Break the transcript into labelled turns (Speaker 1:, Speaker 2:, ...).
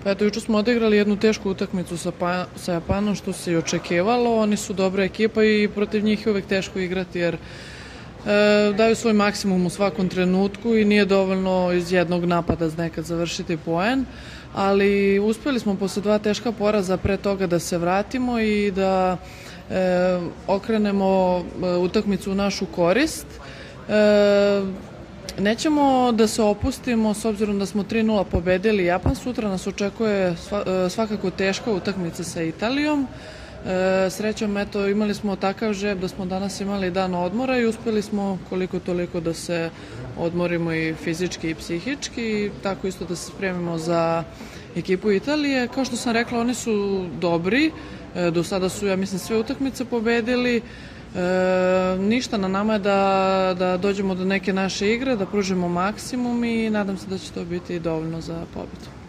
Speaker 1: Pa eto, juče smo odigrali jednu tešku utakmicu sa Japanom, što se i očekivalo. Oni su dobra ekipa i protiv njih je uvek teško igrati jer daju svoj maksimum u svakom trenutku i nije dovoljno iz jednog napada nekad završiti poen, ali uspeli smo posle dva teška poraza pre toga da se vratimo i da okrenemo utakmicu u našu korist. Nećemo da se opustimo s obzirom da smo 3:0 pobedili Japan. Sutra nas očekuje svakako teška utakmica sa Italijom. Srećom, eto, imali smo takav žeb da smo danas imali dan odmora i uspeli smo koliko toliko da se odmorimo i fizički i psihički i tako isto da se spremimo za ekipu Italije. Kao što sam rekla, oni su dobri, do sada su, ja mislim, sve utakmice pobedili. Ništa, na nama je da dođemo do neke naše igre, da pružimo maksimum i nadam se da će to biti dovoljno za pobedu.